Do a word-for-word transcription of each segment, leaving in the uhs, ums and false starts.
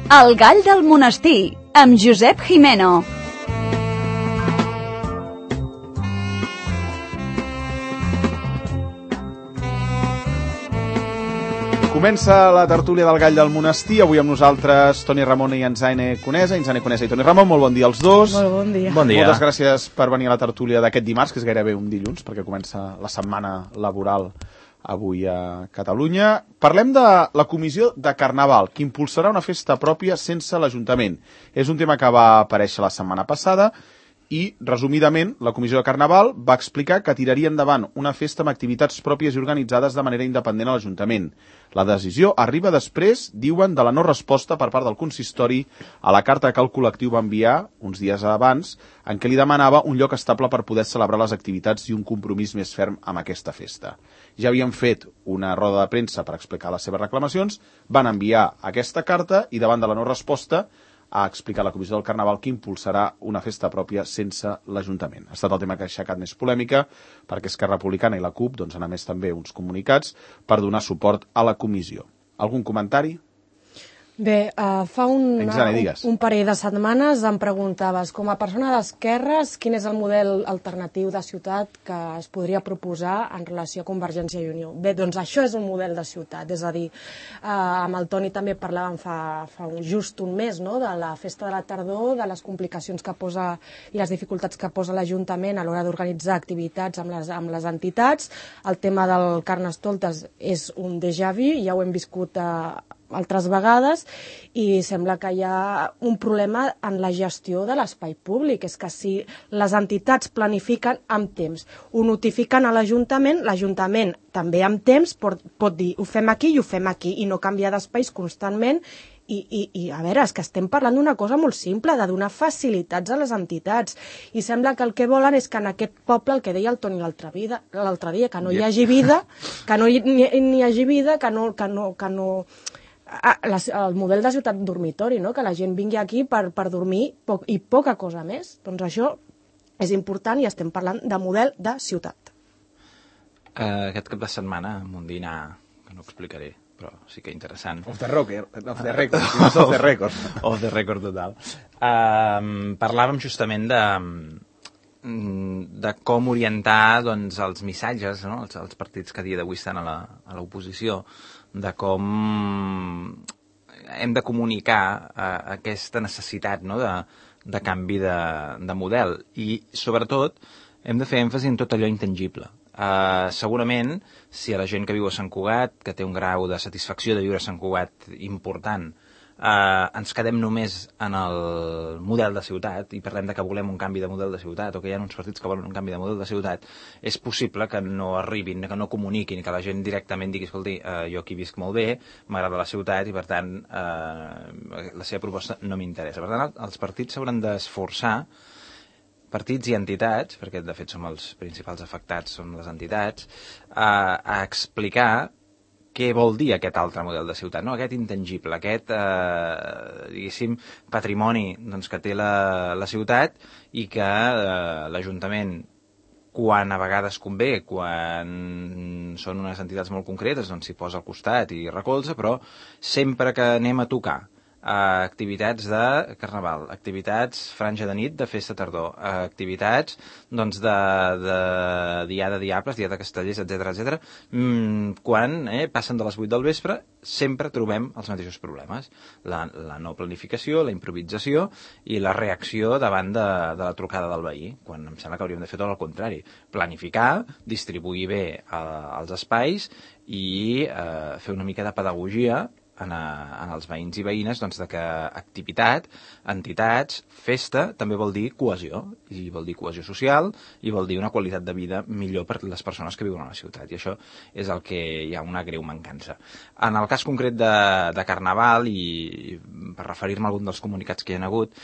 El gall del monestir, amb Josep Jimeno. Comença la tertúlia del gall del monestir, avui amb nosaltres Toni Ramon i Enzaine Conesa. Enzaine Conesa i Toni Ramon, molt bon dia als dos. Molt bon dia. Bon dia. Moltes gràcies per venir a la tertúlia d'aquest dimarts, que és gairebé un dilluns, perquè comença la setmana laboral avui a Catalunya. Parlem de la comissió de Carnaval, que impulsarà una festa pròpia sense l'Ajuntament. És un tema que va aparèixer la setmana passada i, resumidament, la comissió de Carnaval va explicar que tiraria endavant una festa amb activitats pròpies i organitzades de manera independent a l'Ajuntament. La decisió arriba després, diuen, de la no resposta per part del consistori a la carta que el col·lectiu va enviar uns dies abans, en què li demanava un lloc estable per poder celebrar les activitats i un compromís més ferm amb aquesta festa. Ja havien fet una roda de premsa per explicar les seves reclamacions, van enviar aquesta carta i, davant de la no resposta, ha explicat la Comissió del Carnaval que impulsarà una festa pròpia sense l'Ajuntament. Ha estat el tema que ha aixecat més polèmica, perquè Esquerra Republicana i la CUP doncs, han emès també uns comunicats per donar suport a la comissió. Algun comentari? Bé, uh, fa un, Exane, un, digues. un parell de setmanes em preguntaves, com a persona d'esquerres, quin és el model alternatiu de ciutat que es podria proposar en relació a Convergència i Unió. Bé, doncs això és un model de ciutat, és a dir, uh, amb el Toni també parlàvem fa, fa un, just un mes, no?, de la festa de la tardor, de les complicacions que posa i les dificultats que posa l'Ajuntament a l'hora d'organitzar activitats amb les, amb les entitats. El tema del Carnestoltes és un déjà vu, ja ho hem viscut a uh, altres vegades, i sembla que hi ha un problema en la gestió de l'espai públic. És que si les entitats planifiquen amb temps, ho notifiquen a l'Ajuntament, l'Ajuntament també amb temps pot, pot dir ho fem aquí i ho fem aquí, i no canviar d'espais constantment. I, i, i a veure, és que estem parlant d'una cosa molt simple, de donar facilitats a les entitats, i sembla que el que volen és que en aquest poble, el que deia el Toni l'altre dia, l'altre dia, que no hi hagi vida, que no hi, ni, ni hi hagi vida, que no... Que no, que no Ah, la, el model de ciutat dormitori, no?, que la gent vingui aquí per, per dormir poc, i poca cosa més. Doncs això és important i estem parlant de model de ciutat. Uh, aquest cap de setmana, amb un dinar que no explicaré, però sí que interessant. Off the record, off the record, si no és off the record. Off the record total. Uh, parlàvem justament de, de com orientar, doncs, els missatges, no?, els, els partits que a dia d'avui estan a la, a l'oposició, de com hem de comunicar uh, aquesta necessitat, no?, de, de canvi de, de model, i sobretot hem de fer èmfasi en tot allò intangible. Uh, segurament, si a la gent que viu a Sant Cugat, que té un grau de satisfacció de viure a Sant Cugat important, Uh, ens quedem només en el model de ciutat i parlem de que volem un canvi de model de ciutat, o que hi ha uns partits que volen un canvi de model de ciutat, és possible que no arribin, que no comuniquin, que la gent directament digui, escolti, uh, jo aquí visc molt bé, m'agrada la ciutat i per tant uh, la seva proposta no m'interessa. Per tant, els partits s'hauran d'esforçar, partits i entitats, perquè de fet som els principals afectats, són les entitats, uh, a explicar què vol dir aquest altre model de ciutat, no? Aquest intangible, aquest, eh, diguéssim, patrimoni, doncs, que té la, la ciutat, i que eh, l'Ajuntament, quan a vegades convé, quan són unes entitats molt concretes, doncs s'hi posa al costat i recolza, però sempre que anem a tocar a activitats de Carnaval, activitats franja de nit de festa tardor, activitats doncs de, de dia de diables, dia de castellers, etcètera, etcètera, mmm, quan eh, passen de les vuit del vespre, sempre trobem els mateixos problemes. La, la no planificació, la improvisació i la reacció davant de, de la trucada del veí, quan em sembla que hauríem de fer tot el contrari. Planificar, distribuir bé eh, els espais i eh, fer una mica de pedagogia En, a, en els veïns i veïnes, doncs, de que activitat, entitats, festa, també vol dir cohesió, i vol dir cohesió social, i vol dir una qualitat de vida millor per les persones que viuen a la ciutat, i això és el que hi ha una greu mancança. En el cas concret de, de Carnaval, i per referir-me a algun dels comunicats que hi ha hagut,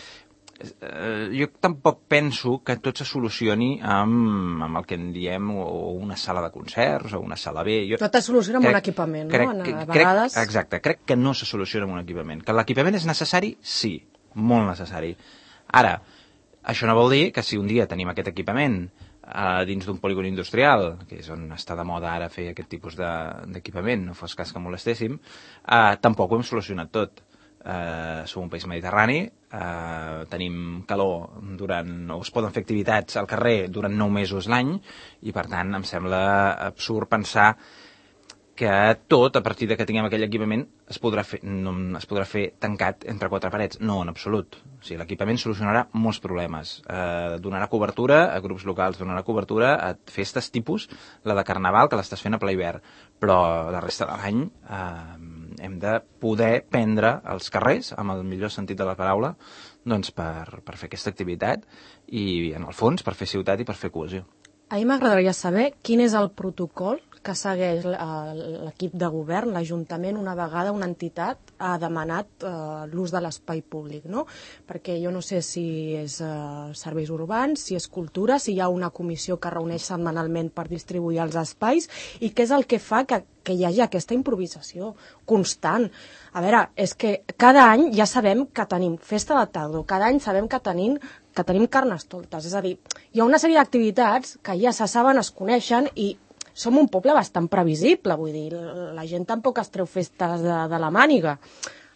eh, jo tampoc penso que tot se solucioni amb, amb el que en diem o una sala de concerts o una sala B. Jo tot es soluciona amb crec, un equipament, crec, no? Que, a vegades... crec, exacte, crec que no se soluciona amb un equipament. Que l'equipament és necessari? Sí, molt necessari. Ara, això no vol dir que si un dia tenim aquest equipament Uh, dins d'un polígon industrial, que és on està de moda ara fer aquest tipus d'equipament, de, no fos cas que molestéssim, uh, tampoc ho hem solucionat tot. eh, som un país mediterrani, eh, tenim calor durant, o es poden fer activitats al carrer durant nou mesos l'any, i per tant em sembla absurd pensar que tot, a partir de que tinguem aquell equipament, es podrà fer, no, es podrà fer tancat entre quatre parets. No, en absolut. O sigui, l'equipament solucionarà molts problemes. Eh, donarà cobertura a grups locals, donarà cobertura a festes tipus la de Carnaval, que l'estàs fent a ple hivern. Però la resta de l'any eh, hem de poder prendre els carrers, amb el millor sentit de la paraula, doncs per, per fer aquesta activitat i, en el fons, per fer ciutat i per fer cohesió. A mi m'agradaria saber quin és el protocol que segueix l'equip de govern, l'Ajuntament, una vegada una entitat ha demanat eh, l'ús de l'espai públic, no? Perquè jo no sé si és eh, serveis urbans, si és cultura, si hi ha una comissió que reuneix setmanalment per distribuir els espais, i què és el que fa que, que hi hagi aquesta improvisació constant. A veure, és que cada any ja sabem que tenim festa de tardor, cada any sabem que tenim que tenim carnestoltes, és a dir, hi ha una sèrie d'activitats que ja se saben, es coneixen, i som un poble bastant previsible, vull dir, la gent tampoc es treu festes de, de la màniga.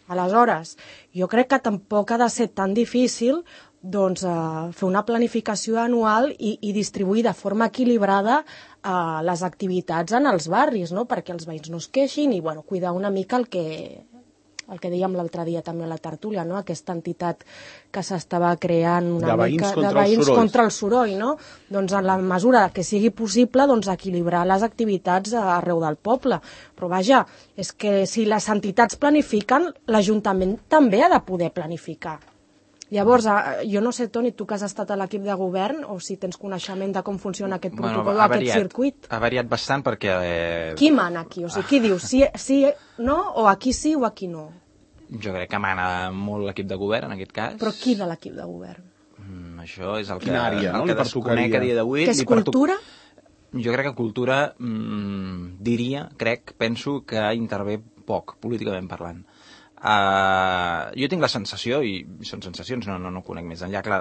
Aleshores, jo crec que tampoc ha de ser tan difícil doncs, eh, fer una planificació anual i, i distribuir de forma equilibrada eh, les activitats en els barris, no? Perquè els veïns no es queixin i bueno, cuidar una mica el que... el que dèiem l'altre dia també a la tertúlia, no? Aquesta entitat que s'estava creant una de veïns mica contra de veïns el soroll. contra el soroll, no? Doncs en la mesura que sigui possible, doncs equilibrar les activitats arreu del poble. Però vaja, és que si les entitats planifiquen, l'Ajuntament també ha de poder planificar. Llavors, jo no sé, Toni, tu que has estat a l'equip de govern, o si tens coneixement de com funciona aquest protocol, bueno, ha aquest variat, circuit. Ha variat bastant perquè... Eh... Qui mana aquí? O sigui, qui diu sí, sí, no, o aquí sí o aquí no? Jo crec que mana molt l'equip de govern, en aquest cas. Però qui de l'equip de govern? Mm, això és el que, Quina àrea, no? el que desconec a dia d'avui. Que és cultura? Jo crec que cultura, mm, diria, crec, penso que intervé poc, políticament parlant. Uh, jo tinc la sensació, i són sensacions, no, no, no conec més enllà, clar,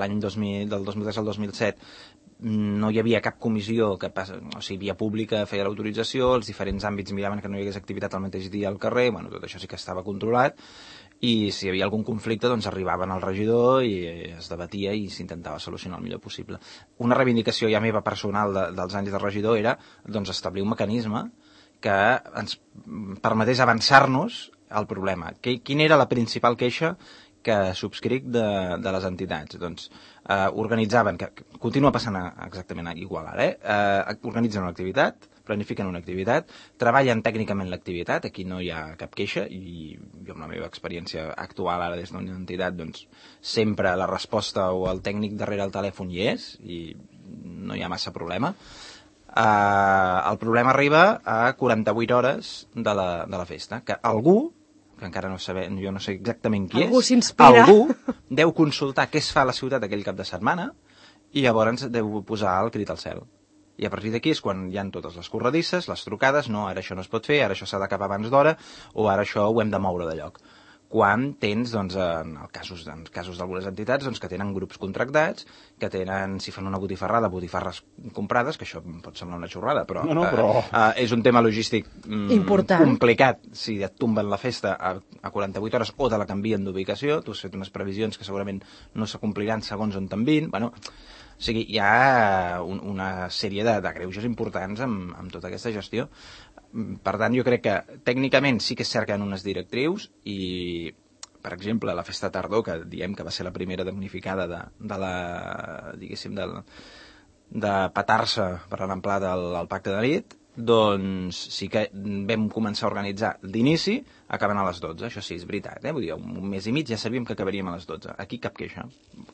l'any dos mil, del dos mil tres al dos mil set no hi havia cap comissió que passa, o sigui, via pública feia l'autorització, els diferents àmbits miraven que no hi hagués activitat al mateix dia al carrer, bueno, tot això sí que estava controlat, i si hi havia algun conflicte doncs arribaven al regidor i es debatia i s'intentava solucionar el millor possible. Una reivindicació ja meva personal de, dels anys de regidor era doncs, establir un mecanisme que ens permetés avançar-nos al problema. Quina era la principal queixa que subscric de, de les entitats? Doncs eh, organitzaven, que continua passant exactament igual ara, eh? Eh, organitzen una activitat, planifiquen una activitat, treballen tècnicament l'activitat, aquí no hi ha cap queixa, i jo amb la meva experiència actual ara des d'una entitat, doncs sempre la resposta o el tècnic darrere el telèfon hi és, i no hi ha massa problema. Uh, el problema arriba a quaranta-vuit hores de la, de la festa, que algú, que encara no sabem, jo no sé exactament qui algú és, s'inspira. algú deu consultar què es fa a la ciutat aquell cap de setmana i llavors deu posar el crit al cel. I a partir d'aquí és quan hi ha totes les corredisses, les trucades, no, ara això no es pot fer, ara això s'ha d'acabar abans d'hora, o ara això ho hem de moure de lloc. Quan tens, doncs, en el casos, en casos d'algunes entitats, doncs, que tenen grups contractats, que tenen, si fan una botifarrada, botifarres comprades, que això pot semblar una xorrada, però, no, no, però... Eh, eh, és un tema logístic mm, important, complicat. Si et tomben la festa a, a quaranta-vuit hores o te la canvien d'ubicació, tu has fet unes previsions que segurament no s'acompliran segons on t'envin, bueno... O sigui, hi ha un, una sèrie de, de greuges importants amb, amb tota aquesta gestió. Per tant, jo crec que tècnicament sí que es cerquen unes directrius i, per exemple, la festa tardor, que diem que va ser la primera damnificada de, de la, diguéssim, de, de petar-se per l'amplà del, del pacte de nit, doncs sí que vam començar a organitzar d'inici, acabant a les dotze, això sí, és veritat, eh? Vull dir, un mes i mig ja sabíem que acabaríem a les dotze. Aquí cap queixa.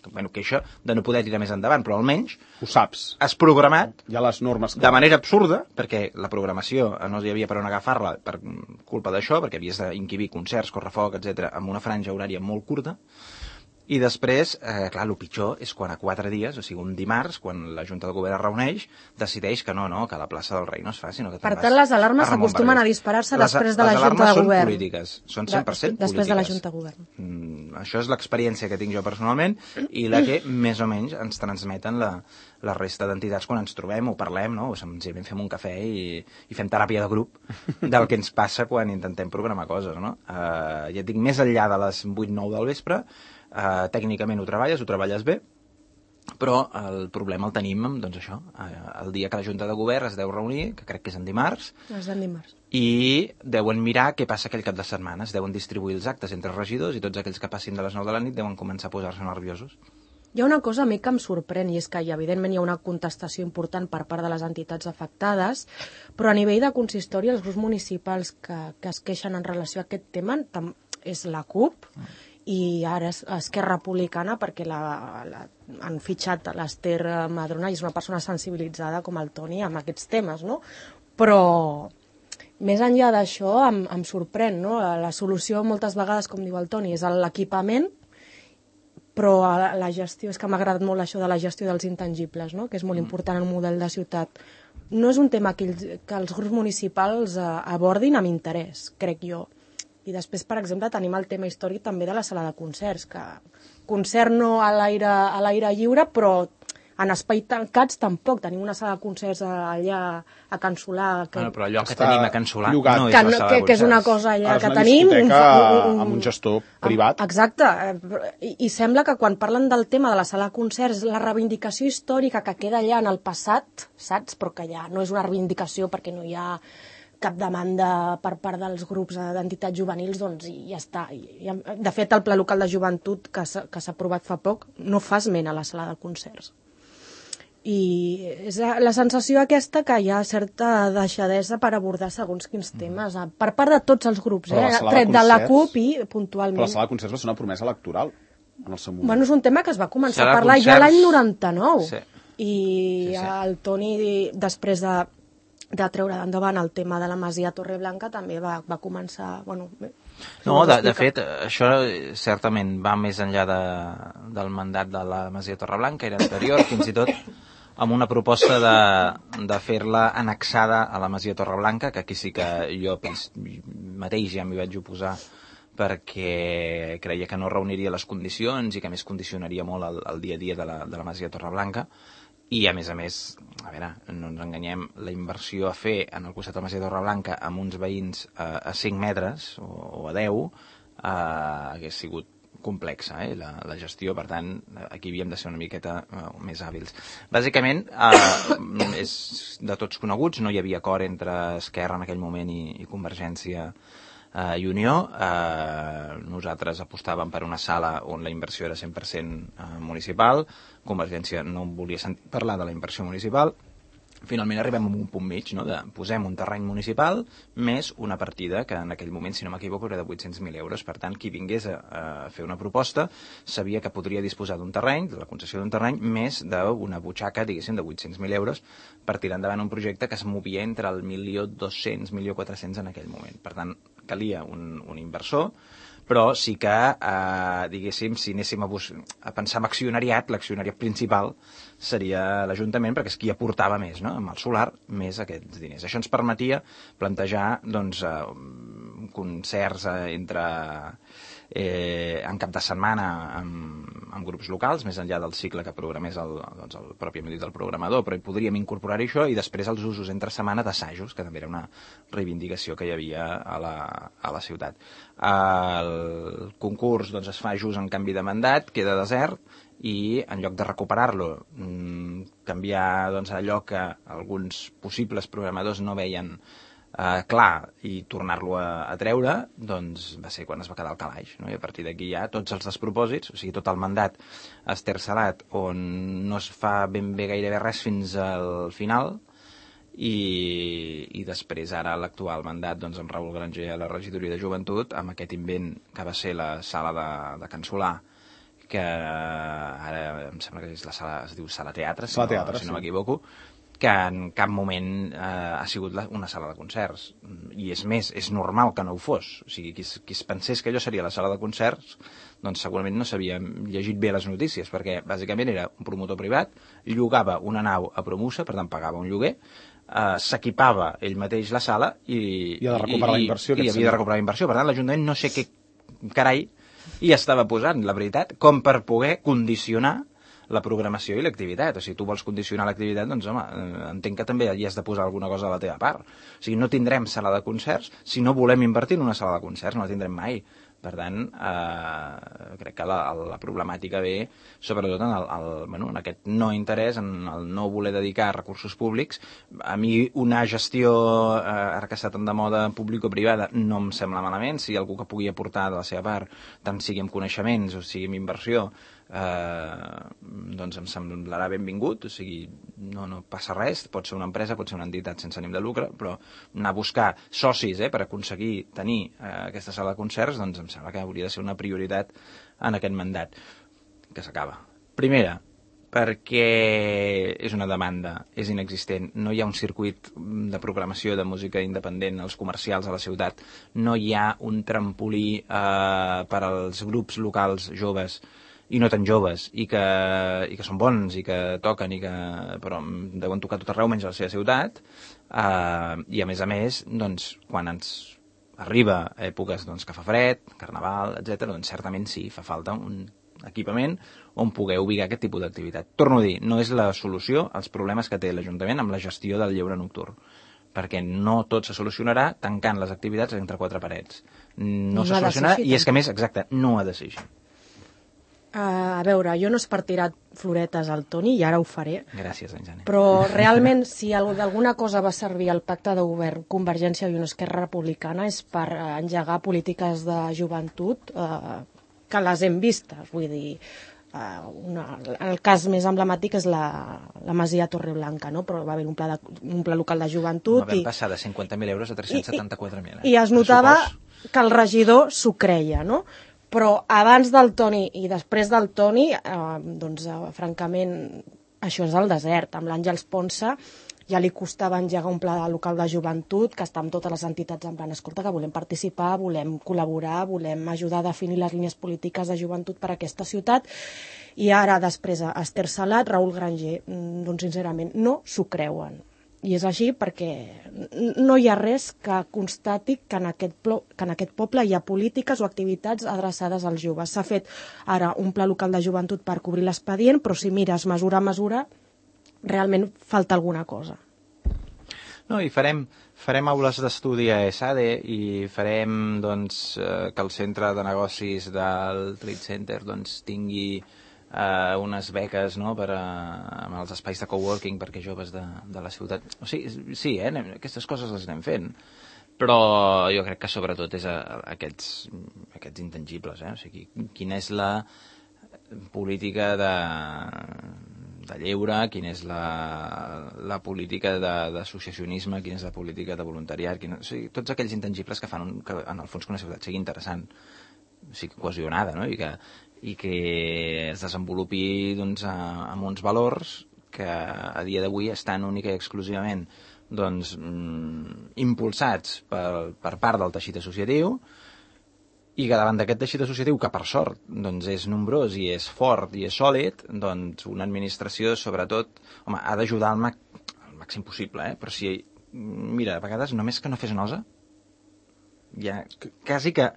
Bueno, queixa de no poder tirar més endavant, però almenys ho saps. Has programat hi ha les normes de manera absurda, perquè la programació no hi havia per on agafar-la per culpa d'això, perquè havies d'inquibir concerts, correfoc, etcètera, amb una franja horària molt curta. I després, eh, clar, el pitjor és quan a quatre dies, o sigui, un dimarts, quan la Junta de Govern es reuneix, decideix que no, no, que la plaça del Rei no es fa, sinó que... Per tant, les alarmes s'acostumen a disparar-se després de la Junta de Govern. Les alarmes són polítiques, són cent per cent polítiques. Després de la Junta de Govern. Mm, això és l'experiència que tinc jo personalment i la que més o menys ens transmeten la, la resta d'entitats quan ens trobem o parlem, no? O senzillament fem un cafè i, i fem teràpia de grup del que ens passa quan intentem programar coses, no? Uh, ja et dic, més enllà de les vuit nou del vespre, uh, tècnicament ho treballes, ho treballes bé, però el problema el tenim, doncs això, el dia que la Junta de Govern es deu reunir, que crec que és en dimarts, és en dimarts, i deuen mirar què passa aquell cap de setmana, es deuen distribuir els actes entre regidors i tots aquells que passin de les nou de la nit deuen començar a posar-se nerviosos. Hi ha una cosa a mi que em sorprèn, i és que evidentment hi ha una contestació important per part de les entitats afectades, però a nivell de consistori els grups municipals que, que es queixen en relació a aquest tema és la CUP, i ara és Esquerra Republicana perquè la, la, han fitxat l'Ester Madrona i és una persona sensibilitzada com el Toni amb aquests temes, no? Però més enllà d'això em, em sorprèn, no? La solució moltes vegades, com diu el Toni, és l'equipament, però la, la gestió, és que m'ha agradat molt això de la gestió dels intangibles, no? Que és molt important en un model de ciutat. No és un tema que, ells, que els grups municipals eh, abordin amb interès, crec jo. I després, per exemple, tenim el tema històric també de la sala de concerts, que concert no a l'aire a l'aire lliure, però en espais tancats tampoc. Tenim una sala de concerts allà a Can Solà. Que... Bueno, però allò que tenim a Can Solà llogat. no és que, la sala que, de que és una concerts. cosa allà Ara que és una tenim. discoteca un, amb un gestor privat. Exacte. I, I sembla que quan parlen del tema de la sala de concerts, la reivindicació històrica que queda allà en el passat, saps? Però que ja no és una reivindicació perquè no hi ha cap demanda per part dels grups d'entitats juvenils, doncs i ja està. I, de fet, el Pla Local de Joventut, que s'ha aprovat fa poc, no fa esment a la sala de concerts. I és la sensació aquesta que hi ha certa deixadesa per abordar segons quins temes, per part de tots els grups, eh? Tret de la CUP i puntualment. Però la sala de concerts va ser una promesa electoral en el seu moment. Bueno, és un tema que es va començar Sala a parlar concerts... ja l'any noranta-nou. Sí. I Sí, sí. el Toni, després de de treure endavant el tema de la Masia Torreblanca també va, va començar... Bueno, bé, no, de, de fet, això certament va més enllà de, del mandat de la Masia Torreblanca, era anterior, fins i tot amb una proposta de, de fer-la annexada a la Masia Torreblanca, que aquí sí que jo mateix ja m'hi vaig oposar perquè creia que no reuniria les condicions i que més condicionaria molt el, el dia a dia de la, de la Masia Torreblanca. I, a més a més, a veure, no ens enganyem, la inversió a fer en el costat de la Masia Torreblanca amb uns veïns a, a cinc metres o, o a deu eh, hagués sigut complexa, eh, la, la gestió, per tant, aquí havíem de ser una miqueta eh, més hàbils. Bàsicament, eh, és de tots coneguts, no hi havia acord entre Esquerra en aquell moment i, i Convergència Uh, i Unió. Uh, nosaltres apostàvem per una sala on la inversió era cent per cent uh, municipal. Convergència no volia sentir parlar de la inversió municipal. Finalment arribem a un punt mig, no? De posem un terreny municipal més una partida que en aquell moment, si no m'equivoco, era de vuit-cents mil euros. Per tant, qui vingués a, a fer una proposta sabia que podria disposar d'un terreny, de la concessió d'un terreny, més d'una butxaca, diguéssim, de vuit-cents mil euros per tirar endavant un projecte que es movia entre el milió dos-cents, milió quatre-cents en aquell moment. Per tant, calia un, un inversor, però sí que, eh, diguéssim, si anéssim a, a pensar en accionariat, l'accionariat principal seria l'Ajuntament, perquè és qui aportava més, no? Amb el solar, més aquests diners. Això ens permetia plantejar doncs, eh, concerts eh, entre eh, en cap de setmana amb, amb grups locals, més enllà del cicle que programés el, doncs, el propi dit del programador, però hi podríem incorporar això, i després els usos entre setmana d'assajos, que també era una reivindicació que hi havia a la, a la ciutat. El concurs doncs, es fa just en canvi de mandat, queda desert, i en lloc de recuperar-lo, canviar doncs, allò que alguns possibles programadors no veien Uh, clar, i tornar-lo a, a treure, doncs va ser quan es va quedar al calaix, no? I a partir d'aquí ja tots els despropòsits, o sigui, tot el mandat estercelat, on no es fa ben bé gairebé res fins al final, i, i després ara l'actual mandat doncs, amb Raül Granger a la regidoria de Joventut, amb aquest invent que va ser la sala de, de Can Solà, que ara em sembla que és la sala, es diu Sala Teatre, si sala no, teatre, si no sí. m'equivoco, que en cap moment eh, ha sigut la, una sala de concerts. I és més, és normal que no ho fos. O sigui, qui, qui es pensés que allò seria la sala de concerts, doncs segurament no s'havia llegit bé les notícies, perquè bàsicament era un promotor privat, llogava una nau a Promusa, per tant pagava un lloguer, eh, s'equipava ell mateix la sala i, I ha de recuperar i, la inversió. I, i havia de recuperar la inversió. Per tant, l'Ajuntament no sé què carai i estava posant, la veritat, com per poder condicionar la programació i l'activitat. O sigui, tu vols condicionar l'activitat, doncs, home, entenc que també hi has de posar alguna cosa a la teva part. O sigui, no tindrem sala de concerts si no volem invertir en una sala de concerts, no la tindrem mai. Per tant, eh, crec que la, la problemàtica ve sobretot en, el, el, bueno, en aquest no interès, en el no voler dedicar recursos públics. A mi una gestió, eh, ara que està tan de moda público-privada, no em sembla malament. Si algú que pugui aportar de la seva part, tant sigui amb coneixements o sigui amb inversió, eh, doncs em semblarà benvingut. O sigui, no, no passa res, pot ser una empresa, pot ser una entitat sense ànim de lucre, però anar a buscar socis eh, per aconseguir tenir eh, aquesta sala de concerts, doncs em sembla que hauria de ser una prioritat en aquest mandat que s'acaba. Primera, perquè és una demanda, és inexistent. No hi ha un circuit de programació de música independent als comercials a la ciutat. No hi ha un trampolí eh, per als grups locals joves i no tan joves, i que, i que són bons, i que toquen, i que, però deuen tocar tot arreu menys a la seva ciutat. Eh, I a més a més, doncs, quan ens arriba a èpoques doncs, que fa fred, carnaval, etcètera, doncs certament sí, fa falta un equipament on poder ubicar aquest tipus d'activitat. Torno a dir, no és la solució als problemes que té l'Ajuntament amb la gestió del lleure nocturn, perquè no tot se solucionarà tancant les activitats entre quatre parets. No, no se solucionarà, i és que més, exacte, no ha de ser així. Uh, a veure, jo no és per tirar floretes al Toni, i ara ho faré. Gràcies, Enjane. Però realment, si d'alguna cosa va servir el pacte de govern Convergència i Unió Esquerra Republicana és per engegar polítiques de joventut uh, que les hem vistes. Vull dir, uh, una, el cas més emblemàtic és la, la Masia Torreblanca, no? Però va haver un pla, de, un pla local de joventut. Vam i, passar de cinquanta mil euros a tres-cents setanta-quatre mil. Eh? I es notava que el regidor s'ho creia, no? Però abans del Toni i després del Toni, eh, doncs, eh, francament, això és el desert. Amb l'Àngels Ponsa ja li costava engegar un pla local de joventut, que està amb totes les entitats en plan, escolta, que volem participar, volem col·laborar, volem ajudar a definir les línies polítiques de joventut per a aquesta ciutat. I ara, després, Esther Salat, Raül Granger, doncs, sincerament, no s'ho creuen. I és així perquè no hi ha res que constati que en, aquest plo, que en aquest poble hi ha polítiques o activitats adreçades als joves. S'ha fet ara un pla local de joventut per cobrir l'expedient, però si mires mesura a mesura, realment falta alguna cosa. No, i farem, farem aules d'estudi a ESADE i farem doncs, eh, que el centre de negocis del Trade Center doncs, tingui Uh, unes beques no, per a, amb els espais de coworking perquè joves de, de la ciutat. O sigui, sí, eh, anem, aquestes coses les anem fent, però jo crec que sobretot és a, a aquests, aquests intangibles. Eh? O sigui, quina és la política de, de lleure, quina és la, la política d'associacionisme, quina és la política de voluntariat, quina, o sigui, tots aquells intangibles que fan un, que en el fons que una ciutat sigui interessant, o sigui, cohesionada, no? I que i que es desenvolupi doncs, a, amb uns valors que a dia d'avui estan única i exclusivament doncs, mm, impulsats per, per part del teixit associatiu i que davant d'aquest teixit associatiu, que per sort doncs, és nombrós i és fort i és sòlid, doncs una administració sobretot home, ha d'ajudar al, mac, al màxim possible, eh? Però si, mira, a vegades només que no fes nosa, ja quasi que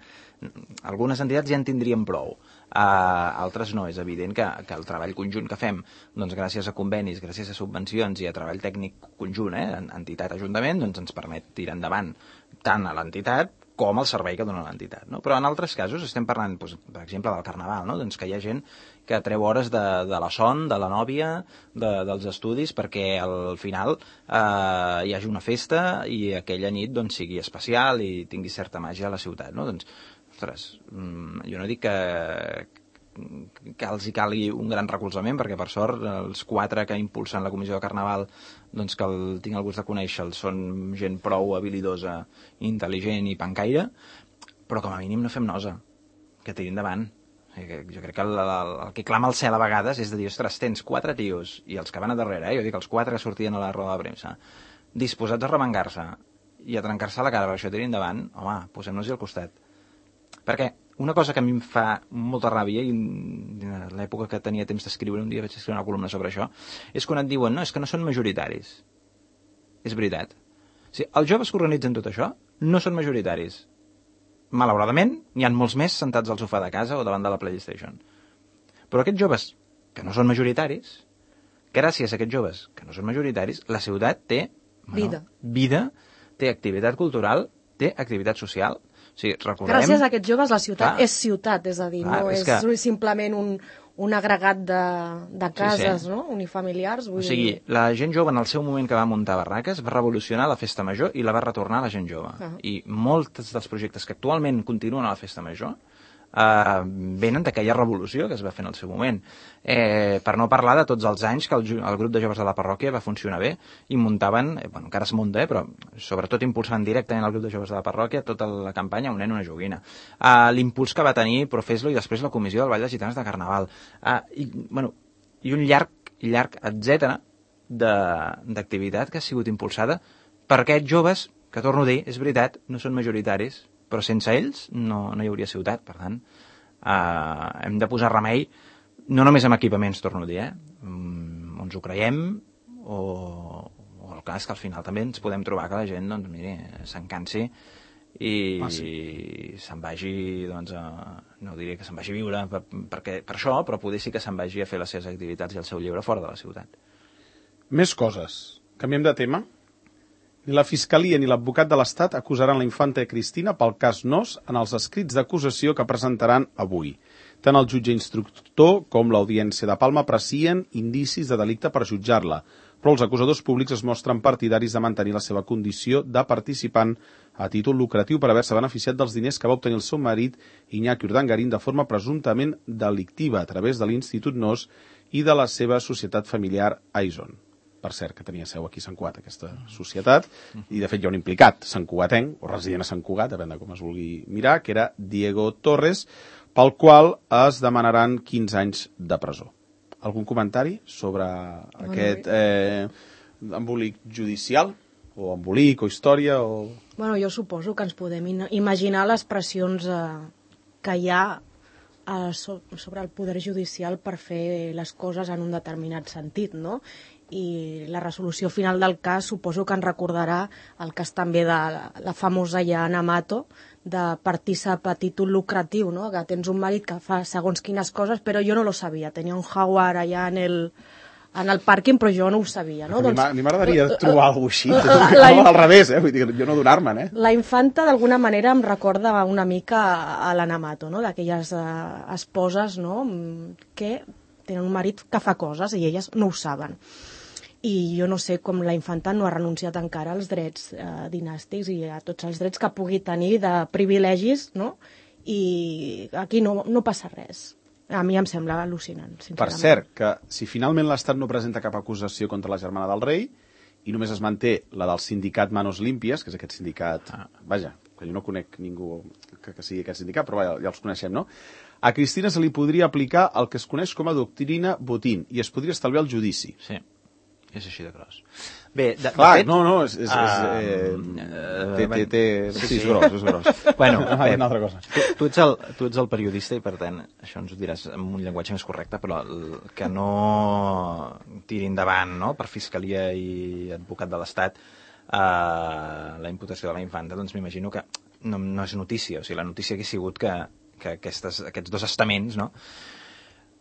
algunes entitats ja en tindrien prou. Uh, altres no, és evident que, que el treball conjunt que fem doncs, gràcies a convenis, gràcies a subvencions i a treball tècnic conjunt, eh, entitat-ajuntament, doncs ens permet tirar endavant tant a l'entitat com al servei que dona l'entitat. No? Però en altres casos estem parlant, doncs, per exemple, del carnaval, no? Doncs que hi ha gent que treu hores de, de la son, de la nòvia, de, dels estudis, perquè al final eh, hi hagi una festa i aquella nit doncs, sigui especial i tingui certa màgia a la ciutat. No? Doncs, ostres, jo no dic que, que els hi calgui un gran recolzament, perquè per sort els quatre que impulsen la comissió de Carnaval, doncs que el, tinc el gust de conèixer-los, són gent prou habilidosa, intel·ligent i pancaire, però com a mínim no fem nosa, que tiri endavant. Jo crec que el, el, el que clama al cel a vegades és de dir, ostres, tens quatre tios, i els que van a darrere, eh? Jo dic els quatre que sortien a la roda de premsa, disposats a remengar-se i a trencar-se la cara per això tiri endavant, home, posem-nos-hi al costat. Perquè una cosa que a mi em fa molta ràbia, i en l'època que tenia temps d'escriure, un dia vaig escriure una columna sobre això, és quan et diuen, no, és que no són majoritaris. És veritat. O sigui, els joves que organitzen tot això no són majoritaris. malauradament, n'hi ha molts més sentats al sofà de casa o davant de la PlayStation. Però aquests joves, que no són majoritaris, gràcies a aquests joves, que no són majoritaris, la ciutat té bueno, vida. vida, té activitat cultural, té activitat social. O sigui, recordem... Gràcies a aquests joves la ciutat Clar. és ciutat, és a dir, Clar, no és és, que- és simplement un, un agregat de, de cases, Sí, sí. no? Unifamiliars. Vull O sigui, dir... la gent jove en el seu moment que va muntar barraques va revolucionar la festa major i la va retornar a la gent jove. Ah. I molts dels projectes que actualment continuen a la festa major eh, venen d'aquella revolució que es va fer en el seu moment. Eh, per no parlar de tots els anys que el, ju- el grup de joves de la parròquia va funcionar bé i muntaven, eh, bueno, encara es munta, eh, però sobretot impulsaven directament el grup de joves de la parròquia tota la campanya Un nen, una joguina. Eh, L'impuls que va tenir Profeslo i després la comissió del Ball de Gitanes de Carnaval. Eh, i, bueno, I un llarg, llarg, etcètera d'activitat que ha sigut impulsada per aquests joves, que torno a dir, és veritat, no són majoritaris, però sense ells no, no hi hauria ciutat. Per tant, eh, hem de posar remei, no només amb equipaments, torno a dir, eh? Mm, ens ho creiem, o, o el cas que al final també ens podem trobar que la gent, doncs, miri, s'encansi i Ah, sí. se'n vagi, doncs, a, no diré que se'n vagi a viure per, perquè, per això, però poder sí que se'n vagi a fer les seves activitats i el seu lleure fora de la ciutat. Més coses. Canviem de tema. Ni la Fiscalia ni l'advocat de l'Estat acusaran la infanta Cristina pel cas Nos en els escrits d'acusació que presentaran avui. Tant el jutge instructor com l'Audiència de Palma aprecien indicis de delicte per jutjar-la, però els acusadors públics es mostren partidaris de mantenir la seva condició de participant a títol lucratiu per haver-se beneficiat dels diners que va obtenir el seu marit Iñaki Urdangarín de forma presumptament delictiva a través de l'Institut Nos i de la seva societat familiar Aison. Per cert, que tenia seu aquí a Sant Cugat, aquesta societat, i de fet hi ha un implicat, santcugatenc, o resident a Sant Cugat, depèn de com es vulgui mirar, que era Diego Torres, pel qual es demanaran quinze anys de presó. Algun comentari sobre aquest eh, embolic judicial? O embolic, o història, o... Bueno, jo suposo que ens podem in- imaginar les pressions eh, que hi ha eh, so sobre el poder judicial per fer les coses en un determinat sentit, no? I la resolució final del cas suposo que ens recordarà el cas també de la, la famosa ja Ana Mato, de partícip a títol lucratiu, no? Que tens un marit que fa segons quines coses, però jo no lo sabia, tenia un jaguar allà en el, en el pàrquing, però jo no ho sabia, no? A mi Doncs, m'a- a mi m'agradaria trobar alguna cosa així, la- no, la- al revés, eh? Vull dir, jo no donar-me'n, eh? la infanta d'alguna manera em recorda una mica a l'Ana Mato, no? D'aquelles eh, esposes, no? Que tenen un marit que fa coses i elles no ho saben. I jo no sé com la infanta no ha renunciat encara als drets eh, dinàstics i a tots els drets que pugui tenir de privilegis, no? I aquí no, no passa res. A mi em sembla al·lucinant, sincerament. Per cert, que si finalment l'Estat no presenta cap acusació contra la germana del rei i només es manté la del sindicat Manos Límpies, que és aquest sindicat, ah. vaja, que jo no conec ningú que, que sigui aquest sindicat, però vaja, ja els coneixem, no? A Cristina se li podria aplicar el que es coneix com a doctrina Botín i es podria estalviar el judici. Sí, és així de gros. Bé, de, Clar, de fet... no, no, és... és, és Ah, eh, eh, té, té, té, sí, sí, sí. és gros, és gros. Bueno, Ah, Pep, una altra cosa. Tu, tu, ets el, tu ets el periodista i per tant això ens ho diràs amb un llenguatge més correcte, però el, que no tiri endavant, no?, per Fiscalia i advocat de l'Estat eh, la imputació de la infanta, doncs m'imagino que no, no és notícia. O sigui, la notícia hagués sigut que, que aquestes, aquests dos estaments, no?,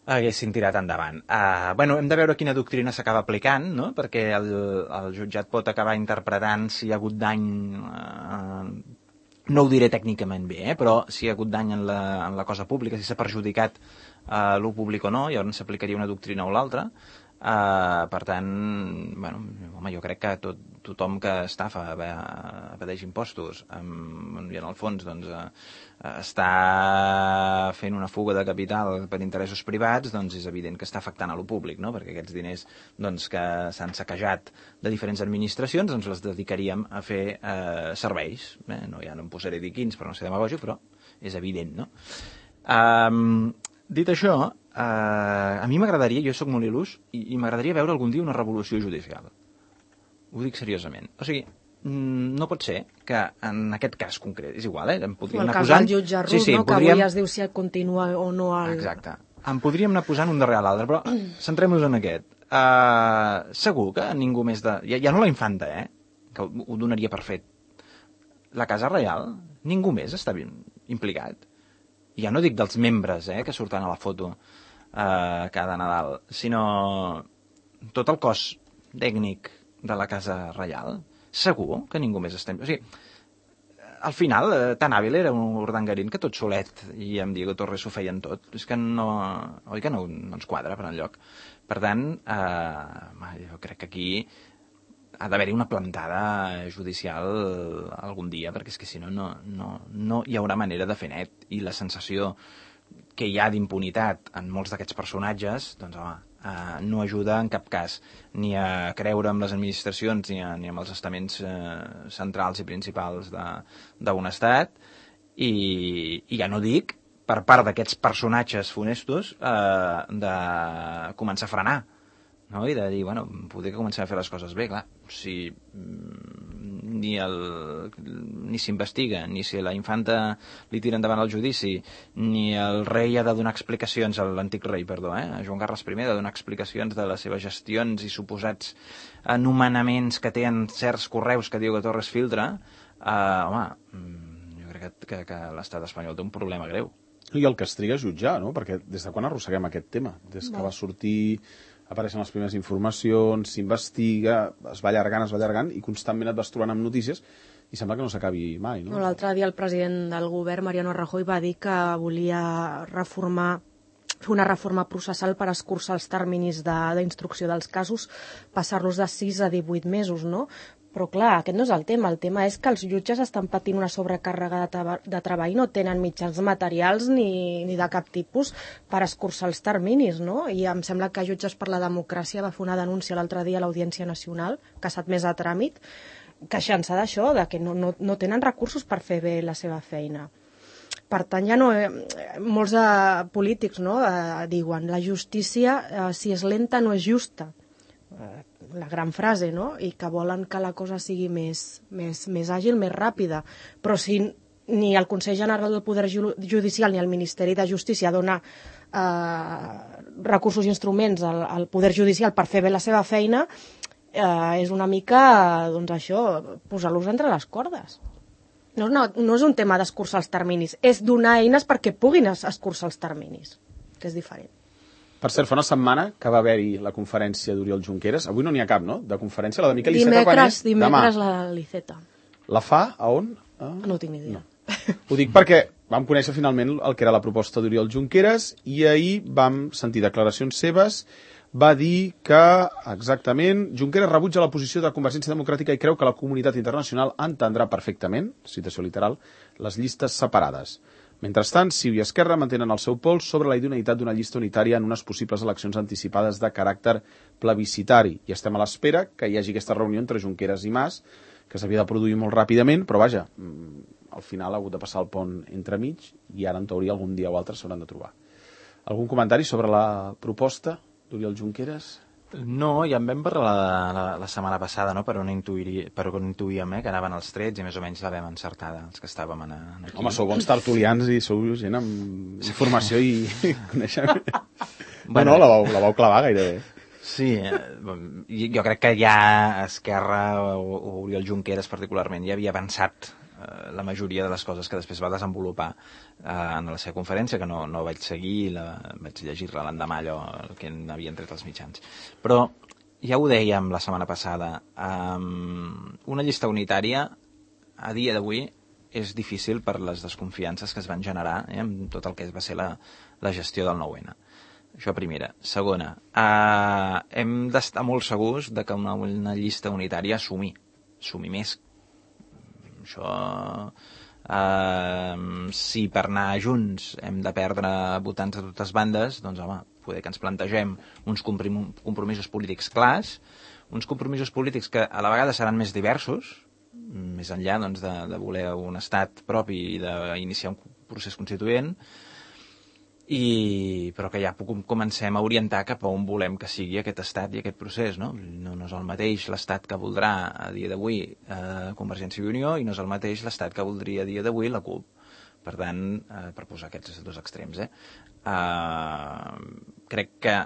haguessin tirat endavant. Uh, bueno, hem de veure quina doctrina s'acaba aplicant, no?, perquè el, el jutjat pot acabar interpretant si hi ha hagut dany, uh, no ho diré tècnicament bé, eh? Però si hi ha hagut dany en la, en la cosa pública, si s'ha perjudicat uh, l'ú públic o no, llavors s'aplicaria una doctrina o l'altra. Uh, per tant, bueno, home, jo crec que tot, tothom que estafa, evadeix impostos um, i en el fons doncs, uh, està fent una fuga de capital per interessos privats, doncs és evident que està afectant a lo públic, no? Perquè aquests diners doncs, que s'han saquejat de diferents administracions doncs els dedicaríem a fer uh, serveis. Eh? No, ja no em posaré a dir quins per no ser demagògic, però és evident, no? Um, dit això, uh, a mi m'agradaria, jo sóc molt il·lús, i, i m'agradaria veure algun dia una revolució judicial. Ho dic seriosament. O sigui, no pot ser que en aquest cas concret, és igual, eh? Em podríem El anar cas posant... del jutge Rull, sí, sí, no? Que podríem... avui es diu si continua o no el... Exacte. Em podríem anar posant un darrere l'altre, però centrem-nos en aquest. Uh, segur que ningú més de... Ja, ja no la infanta, eh? Que ho, ho donaria per fet. La Casa Reial, ningú més està implicat. Ja no dic dels membres eh, que surten a la foto eh, cada Nadal, sinó tot el cos tècnic de la Casa Reial. Segur que ningú més està... O sigui, al final, eh, tan hàbil era un Urdangarín que tot solet i amb Diego Torres ho feien tot. És que no... Oi que no, no ens quadra per enlloc. Per tant, eh, jo crec que aquí ha d'haver-hi una plantada judicial algun dia, perquè és que si no, no, no, no hi haurà manera de fer net. I la sensació que hi ha d'impunitat en molts d'aquests personatges, doncs home, eh, no ajuda en cap cas ni a creure amb les administracions ni, a, ni amb els estaments eh, centrals i principals d'un estat, i, i ja no dic per part d'aquests personatges funestos eh, de començar a frenar, no? I de dir, bueno, poder començar a fer les coses bé, clar, si ni el ni s'investiga, ni si la infanta li tira endavant el judici, ni el rei ha de donar explicacions, l'antic rei, perdó, eh? Joan Carles I, ha de donar explicacions de les seves gestions i suposats anomenaments que té en certs correus que Diego Torres filtra, eh, home, jo crec que, que, que l'estat espanyol té un problema greu. I el que es triga a jutjar, no? Perquè des de quan arrosseguem aquest tema? Des que va sortir, apareixen les primeres informacions, s'investiga, es va allargant, es va allargant, i constantment et vas trobant amb notícies i sembla que no s'acabi mai, no? L'altre dia el president del govern, Mariano Rajoy, va dir que volia reformar fer una reforma processal per escurçar els terminis d'instrucció de, dels casos, passar-los de sis a divuit mesos, no? Però clar, aquest no és el tema. El tema és que els jutges estan patint una sobrecàrrega de, de treball i no tenen mitjans materials ni, ni de cap tipus per escurçar els terminis, no? I em sembla que Jutges per la Democràcia va fer una denúncia l'altre dia a l'Audiència Nacional, que ha estat més a tràmit, queixant-se d'això, de que no, no, no tenen recursos per fer bé la seva feina. Per tant, ja no, eh, molts eh, polítics no, eh, diuen la justícia, eh, si és lenta, no és justa. Eh, la gran frase, no? I que volen que la cosa sigui més, més, més àgil, més ràpida. Però si ni el Consell General del Poder Judicial ni el Ministeri de Justícia dona eh, recursos i instruments al, al Poder Judicial per fer bé la seva feina, eh, és una mica, doncs això, posar-los entre les cordes. No, no, no és un tema d'escurçar els terminis, és donar eines perquè puguin escurçar els terminis, que és diferent. Per cert, fa una setmana que va haver-hi la conferència d'Oriol Junqueras. Avui no n'hi ha cap, no? De conferència, la de Miquel Iceta quan és demà. Dimecres la Liceta. La fa a on? Ah, no tinc ni idea. No. Ho dic perquè vam conèixer finalment el que era la proposta d'Oriol Junqueras i ahir vam sentir declaracions seves. Va dir que, exactament, Junqueras rebutja la posició de Convergència Democràtica i creu que la comunitat internacional entendrà perfectament, citació literal, les llistes separades. Mentrestant, Ciu i Esquerra mantenen el seu pols sobre la idoneïtat d'una llista unitària en unes possibles eleccions anticipades de caràcter plebiscitari. I estem a l'espera que hi hagi aquesta reunió entre Junqueras i Mas, que s'havia de produir molt ràpidament, però vaja, al final ha hagut de passar el pont entremig i ara en teoria algun dia o altre s'hauran de trobar. Algun comentari sobre la proposta d'Oriol Junqueras? No, ja en vam parlar la, la, la setmana passada, no? per on, intuiri, per on intuïem eh? que anaven els trets i més o menys la vam encertada, els que estàvem en, en aquí. Home, sou bons tertulians i sou gent amb informació i coneixement. Bueno, no, la vau, la vau clavar gairebé. Sí, eh, jo crec que ja Esquerra o, o Oriol Junqueras particularment ja havia avançat eh, la majoria de les coses que després va desenvolupar eh, en la seva conferència, que no, no vaig seguir, la, vaig llegir-la l'endemà allò que n'havien tret els mitjans. Però ja ho dèiem la setmana passada, um, una llista unitària a dia d'avui és difícil per les desconfiances que es van generar eh, amb tot el que va ser la, la gestió del nou ene. Això primera. Segona, eh, hem d'estar molt segurs de que una, una llista unitària sumi, sumi més. Això, eh, si per anar junts hem de perdre votants de totes bandes, doncs home, poder que ens plantegem uns compromisos polítics clars, uns compromisos polítics que a la vegada seran més diversos, més enllà doncs, de, de voler un estat propi i d'iniciar un procés constituent, I, però que ja comencem a orientar cap a on volem que sigui aquest estat i aquest procés, no? No, no és el mateix l'estat que voldrà a dia d'avui eh, Convergència i Unió i no és el mateix l'estat que voldria a dia d'avui la CUP. Per tant, eh, per posar aquests dos extrems, eh, eh, crec que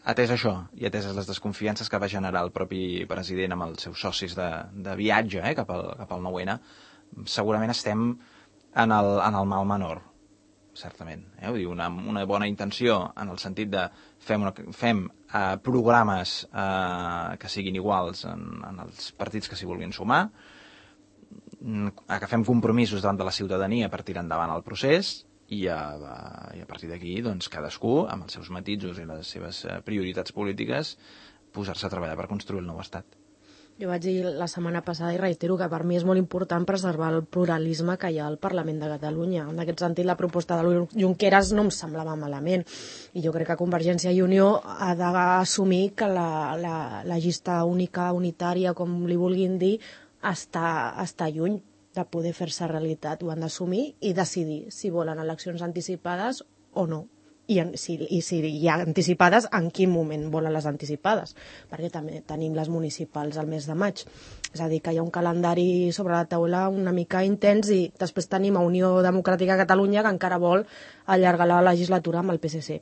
atès això i ateses les desconfiances que va generar el propi president amb els seus socis de, de viatge eh, cap al, cap al nou ene, segurament estem en el, en el mal menor, certament. Eh? Vull dir, una, una bona intenció en el sentit de fem, una, fem eh, programes eh, que siguin iguals en, en els partits que s'hi vulguin sumar, agafem compromisos davant de la ciutadania per tirar endavant el procés i a, i a partir d'aquí doncs, cadascú, amb els seus matisos i les seves prioritats polítiques, posar-se a treballar per construir el nou estat. Jo vaig dir la setmana passada i reitero que per mi és molt important preservar el pluralisme que hi ha al Parlament de Catalunya. En aquest sentit, la proposta de Junqueras no em semblava malament. I jo crec que Convergència i Unió ha d'assumir que la, la, la llista única, unitària, com li vulguin dir, està, està lluny de poder fer-se realitat. Ho han d'assumir i decidir si volen eleccions anticipades o no. I, en, si, i si hi ha anticipades, en quin moment volen les anticipades, perquè també tenim les municipals al mes de maig. És a dir, que hi ha un calendari sobre la taula una mica intens i després tenim a Unió Democràtica de Catalunya que encara vol allargar la legislatura amb el P S C.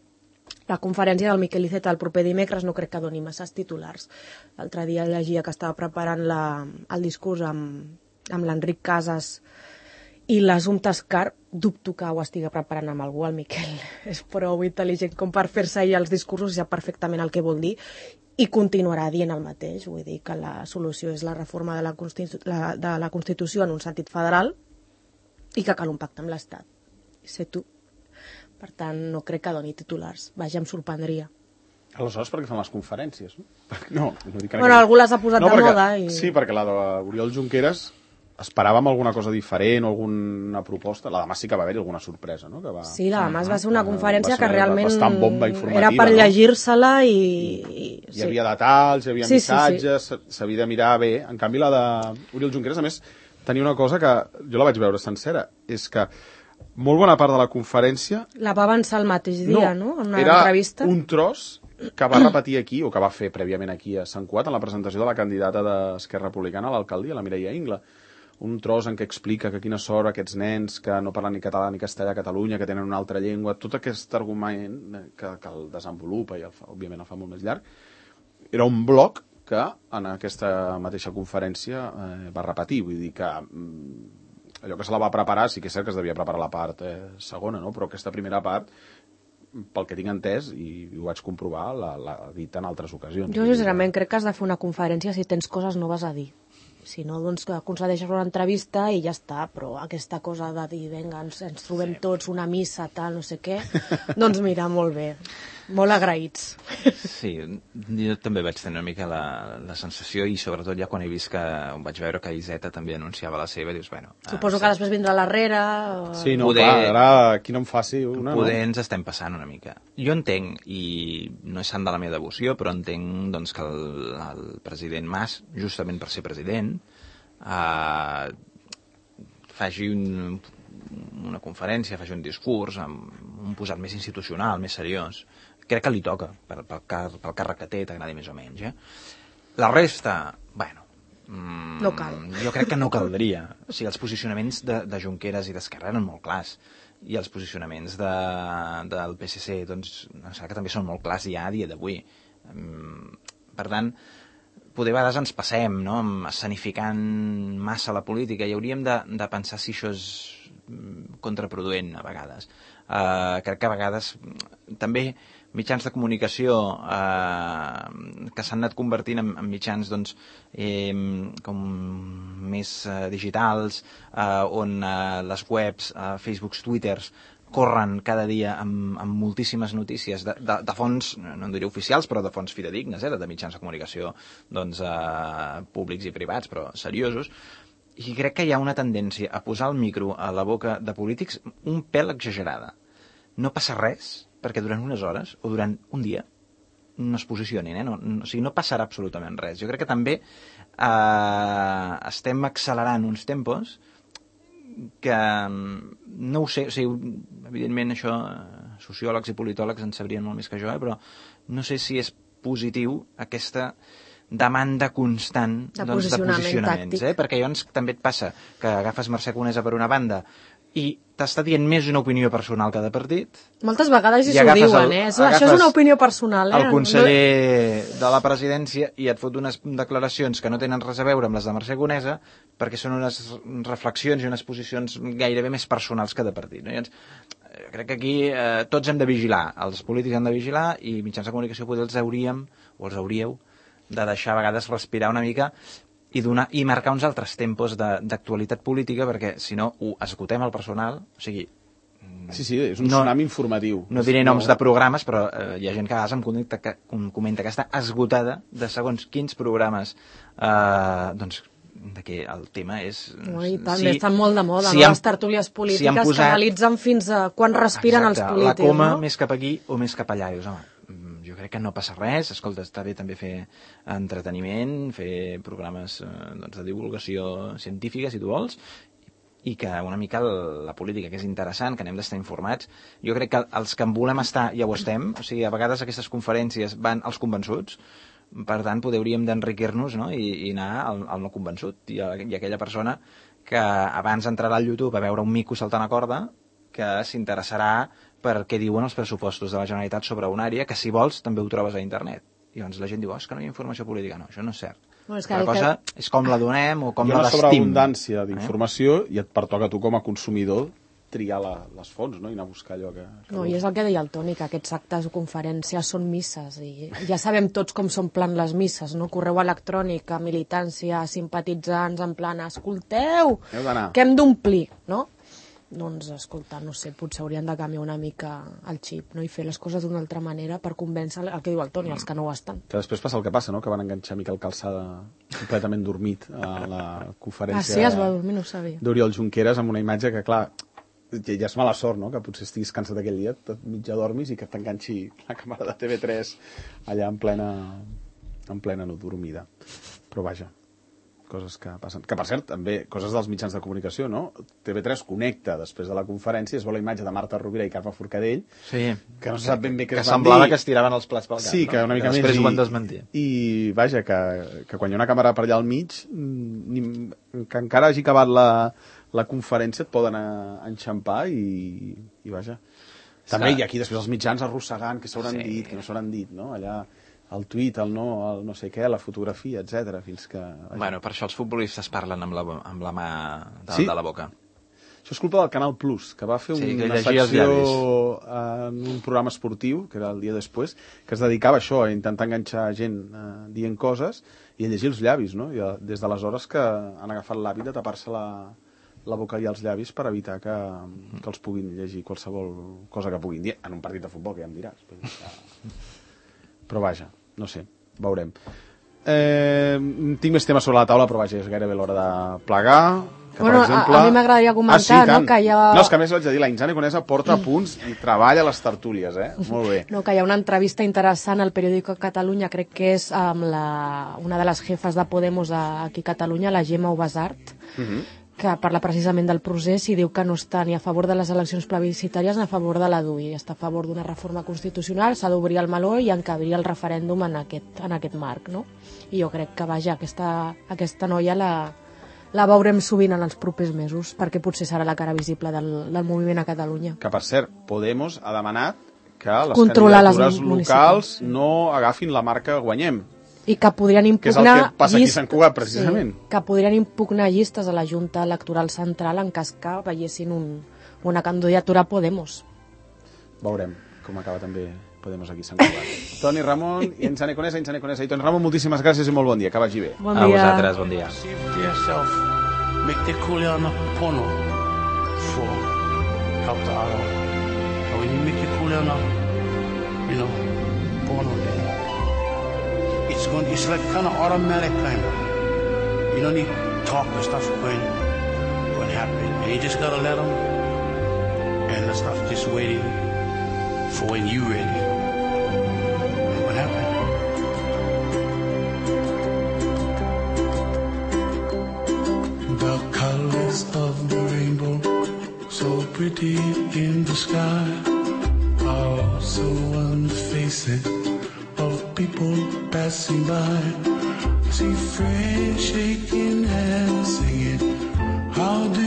La conferència del Miquel Iceta el proper dimecres no crec que doni masses titulars. L'altre dia llegia que estava preparant la, el discurs amb, amb l'Enric Casas i l'Assumpta Escar, dubto que ho estigui preparant amb algú, el Miquel és prou intel·ligent com per fer-se ahir els discursos i sap perfectament el que vol dir i continuarà dient el mateix, vull dir que la solució és la reforma de la, Constitu la, de la Constitució en un sentit federal i que cal un pacte amb l'Estat. Sé tu. Per tant, no crec que doni titulars. Vaja, em sorprendria. Aleshores, per què fan les conferències? No, no, no dic que bueno, algú les ha posat no, de perquè, moda. I... Sí, perquè la d'Oriol Junqueras esperàvem alguna cosa diferent o alguna proposta. La demà sí que va haver-hi alguna sorpresa, no? Que va... Sí, la demà es va ser una va, conferència va ser que realment bomba era per no? llegir-se-la i... i hi sí. havia detalls, hi havia sí, missatges, s'havia sí, sí. de mirar bé. En canvi, la d'Oriol Junqueras, a més, tenia una cosa que jo la vaig veure sencera, és que molt bona part de la conferència... La va avançar el mateix dia, no? no? En una era entrevista. Un tros que va repetir aquí, o que va fer prèviament aquí a Sant Cugat, en la presentació de la candidata d'Esquerra Republicana a l'alcaldia, la Mireia Ingla. Un tros en què explica que quina sort aquests nens que no parlen ni català ni castellà a Catalunya, que tenen una altra llengua, tot aquest argument que, que el desenvolupa i el fa, òbviament el fa molt més llarg, era un bloc que en aquesta mateixa conferència eh, va repetir, vull dir que mm, allò que se la va preparar, sí que és cert que es devia preparar la part eh, segona, no? Però aquesta primera part, pel que tinc entès, i ho vaig comprovar, l'ha dit en altres ocasions. Jo sincerament crec que has de fer una conferència si tens coses noves a dir. Si no, doncs que concedeixes una entrevista i ja està, però aquesta cosa de dir, vinga, ens, ens trobem sí. tots, una missa, tal, no sé què, doncs mira, molt bé, molt agraïts. Sí, jo també vaig tenir una mica la, la sensació i sobretot ja quan he vist que, vaig veure que Iceta també anunciava la seva, dius, bueno... Suposo que després vindrà l'arrere... O... Sí, no, poder, clar, ara qui no em faci una... Poder no? ens estem passant una mica. Jo entenc, i no és sant de la meva devoció, però entenc doncs, que el, el president Mas, justament per ser president, Uh, faci un, una conferència, faci un discurs amb un posat més institucional, més seriós. Crec que li toca pel, pel, car pel càrrec que té, t'agradi més o menys, eh? La resta, bueno, mm, no cal. Jo crec que no caldria. O sigui, els posicionaments de, de Junqueras i d'Esquerra eren molt clars i els posicionaments de, del P S C doncs, em sembla que també són molt clars ja a dia d'avui. Um, per tant, poder a vegades ens passem, no?, escenificant massa la política i hauríem de, de pensar si això és contraproduent a vegades. Uh, crec que a vegades també mitjans de comunicació uh, que s'han anat convertint en, en mitjans doncs, eh, com més uh, digitals, uh, on uh, les webs, uh, Facebooks, Twitters, corren cada dia amb, amb moltíssimes notícies de, de, de fons, no en diré oficials, però de fons fidedignes, eh, de mitjans de comunicació doncs, eh, públics i privats, però seriosos, i crec que hi ha una tendència a posar el micro a la boca de polítics un pèl exagerada. No passa res perquè durant unes hores o durant un dia no es posicionin, eh? no, no, o sigui, no passarà absolutament res. Jo crec que també eh, estem accelerant uns tempos que no ho sé, o sigui, evidentment això sociòlegs i politòlegs en sabrien molt més que jo, eh, però no sé si és positiu aquesta demanda constant de, doncs, de posicionaments, eh? Perquè llavors també et passa que agafes Mercè Conesa per una banda i t'està dient més una opinió personal que de partit. Moltes vegades I s'ho agafes diuen, el- eh? Això agafes és una opinió personal, eh? El conseller de la presidència i et fot unes declaracions que no tenen res a veure amb les de Mercè Conesa perquè són unes reflexions i unes posicions gairebé més personals que de partit. No? Llavors, eh, crec que aquí eh, tots hem de vigilar, els polítics han de vigilar i mitjans de comunicació potser els hauríem, o els hauríeu, de deixar a vegades respirar una mica i, donar, i marcar uns altres tempos de- d'actualitat política, perquè si no ho esgotem al personal, o sigui, Sí, sí, és un No- tsunami informatiu. no diré noms de programes, però eh, hi ha gent que a vegades em comenta que, em comenta que està esgotada de segons quins programes, eh, doncs, de què el tema és... No, i tant, sí, estan molt de moda, si no? han- Les tertúlies polítiques si han posat- que analitzen fins a quan respiren Exacte, els polítics, la coma no? més cap aquí o més cap allà. Dius, home, mm, jo crec que no passa res, escolta, està bé també fer entreteniment, fer programes eh, doncs, de divulgació científica, si tu vols, i que una mica el, la política, que és interessant, que n'hem d'estar informats. Jo crec que els que en volem estar ja ho estem, o sigui, a vegades aquestes conferències van als convençuts, per tant, podríem d'enriquir-nos, no? I, i anar al, al no convençut, i, a, i aquella persona que abans entrarà al YouTube a veure un mico saltant a corda, que s'interessarà per què diuen els pressupostos de la Generalitat sobre una àrea, que si vols també ho trobes a internet. I llavors la gent diu, oh, és que no hi ha informació política. No, això no és cert. Bueno, és que la el cosa és com la donem o com Hi ha la una vestim. sobreabundància d'informació i et pertoca a tu com a consumidor triar la, les fonts, no? I anar a buscar allò que... que No, vols. i és el que deia el Toni, que aquests actes o conferències són misses, i ja sabem tots com s'omplen les misses, no? Correu electrònic, a militància, a simpatitzants, en plan, escolteu, Heu d'anar. que hem d'omplir, no? Doncs, escolta, no sé, potser haurien de canviar una mica el xip, no? I fer les coses d'una altra manera per convèncer el que diu el Toni, els que no ho estan. Que després passa el que passa, no? Que van enganxar Miquel Calçada completament dormit a la conferència Ah, sí, es va dormir, no ho sabia. d'Oriol Junqueras amb una imatge que, clar, ja ja és mala sort, no?, que potser estiguis cansat aquell dia, tot mitja dormis i que t'enganxi la càmera de T V tres allà en plena, en plena no dormida. Però vaja, coses que passen. Que, per cert, també, coses dels mitjans de comunicació, no? T V tres connecta després de la conferència, es veu la imatge de Marta Rovira i Carme Forcadell, Sí. que no se sap ben bé què Que es van semblava dir. que es tiraven els plats pel cap. Sí, que no? una mica Després més. ho van desmentir. I, vaja, que, que quan hi ha una càmera per allà al mig, mm, ni, que encara hagi acabat la, la conferència et poden a- enxampar i, i vaja. També Està. hi ha aquí després els mitjans arrossegant què s'hauran Sí. dit, què no s'hauran dit, no? Allà el tuit, el no, el no sé què, la fotografia, etcètera, fins que... Vaja. Bueno, per això els futbolistes parlen amb la, amb la mà de, Sí? de la boca. Això és culpa del Canal Plus, que va fer Sí, que una llegia els secció en un programa esportiu, que era el dia després, que es dedicava a això, a intentar enganxar gent eh, dient coses i a llegir els llavis, no? I a, des d'aleshores que han agafat l'hàbit de tapar-se la, la boca i els llavis per evitar que, que els puguin llegir qualsevol cosa que puguin dir en un partit de futbol, que ja em diràs. Però vaja, no sé, veurem. Eh, tinc més temes sobre la taula, però vaja, és gairebé l'hora de plegar. Que, Bueno, a- a mi m'agradaria comentar, no, tant. que hi ha- No, és que a més vaig a dir, la Inzane Conesa porta a punts i treballa a les tertúlies, eh? Molt bé. No, que hi ha una entrevista interessant al periòdico Catalunya, crec que és amb la, una de les jefes de Podemos a- aquí a Catalunya, la Gemma Ubasart, Uh -huh. que parla precisament del procés i diu que no està ni a favor de les eleccions plebiscitàries ni a favor de la D U I. Està a favor d'una reforma constitucional, s'ha d'obrir el meló i encabrir el referèndum en aquest, en aquest marc, no? I jo crec que, vaja, aquesta, aquesta noia la, la veurem sovint en els propers mesos, perquè potser serà la cara visible del, del moviment a Catalunya. Que, per cert, Podemos ha demanat que les Controlar les candidatures municipals, locals sí. no agafin la marca Guanyem. I que podrien Que és el que impugnar... passa aquí a llist- Sant Cugat, precisament. Sí, que podrien impugnar llistes a la Junta Electoral Central en cas que veiessin un, una candidatura a Podemos. Veurem com acaba també Podemos aquí a Sant Cugat. Toni Ramon i Inzane Conesa, Inzane Conesa i Toni Ramon, moltíssimes gràcies i molt bon dia, que vagi bé. Bon A dia. vosaltres, bon dia. See for yourself. Make the kuliana pono for help the other. And when you make the kuliana, you know, pono there, it's going. It's like kind of automatic kind of. You don't need talk and stuff going, going happen, and you just gotta let them, and the stuff just waiting for when you ready. And what happened? The colors of the rainbow, so pretty in the sky, are also on the faces of people passing by. See friends shaking hands, singing, how do